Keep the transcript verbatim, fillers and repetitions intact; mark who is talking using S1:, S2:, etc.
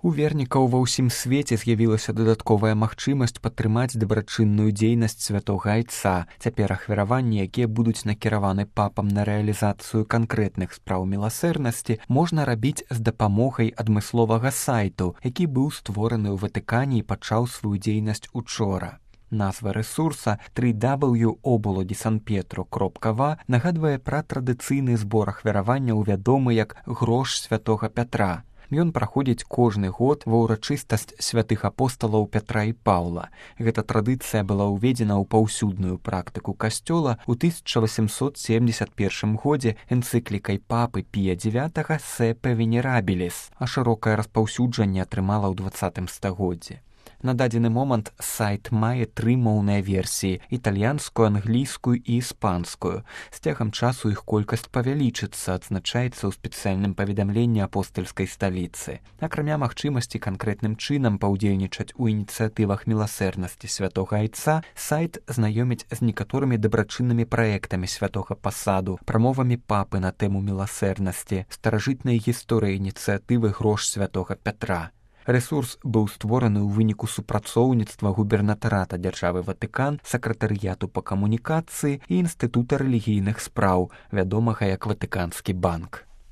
S1: У вернікаў ва ўсім свеце з'явілася дадатковая магчымасць падтрымаць дабрачынную дзейнасць святога айца. Цяпер ахвяраванні, якія будуць накіраваны папам на рэалізацыю канкрэтных спраў міласэрнасці, можна рабіць з дапамогай адмысловага сайту, які быў створаны ў Ватыкане і пачаў сваю дзейнасць учора. Назва рэсурса три дабл ю крапка оболоді сан петру кропка ва нагадвае пра традыцыйны збор ахвяравання, вядомы як грош святога Пятра. Ён праходзіць кожны год ва ўрачыстасць святых апосталаў Пятра і Паўла. Гэта традыцыя была ўведзена ў паўсюдную практыку касцёла ў тысяча васемсот семдзесят першым годзе энцыклікай папы Пія дзевятага «Сепе Венерабіліс», а шырокае распаўсюджанне атрымала ў дваццатым стагоддзі. На дадзены момант сайт мае тры моўныя версіі – італьянскую, англійскую і іспанскую. З цягам часу іх колькасць павялічыцца, адзначаецца ў спецыяльным паведамленні апостальскай сталіцы. Акрамя магчымасці канкрэтным чынам паўдзельнічаць у ініцыятывах міласэрнасці святога айца, сайт знаёміць з некаторымі дабрачыннымі праектамі святога пасаду, прамовамі папы на тэму міласэрнасці, старажытнай гісторыяй ініцыятывы грош святога Пятра. Рэсурс быў створаны ў выніку супрацоўніцтва губернатарата дзяржавы Ватыкан, сакратарыяту па камунікацыі і інстытута рэлігійных спраў, вядомага як Ватыканскі банк.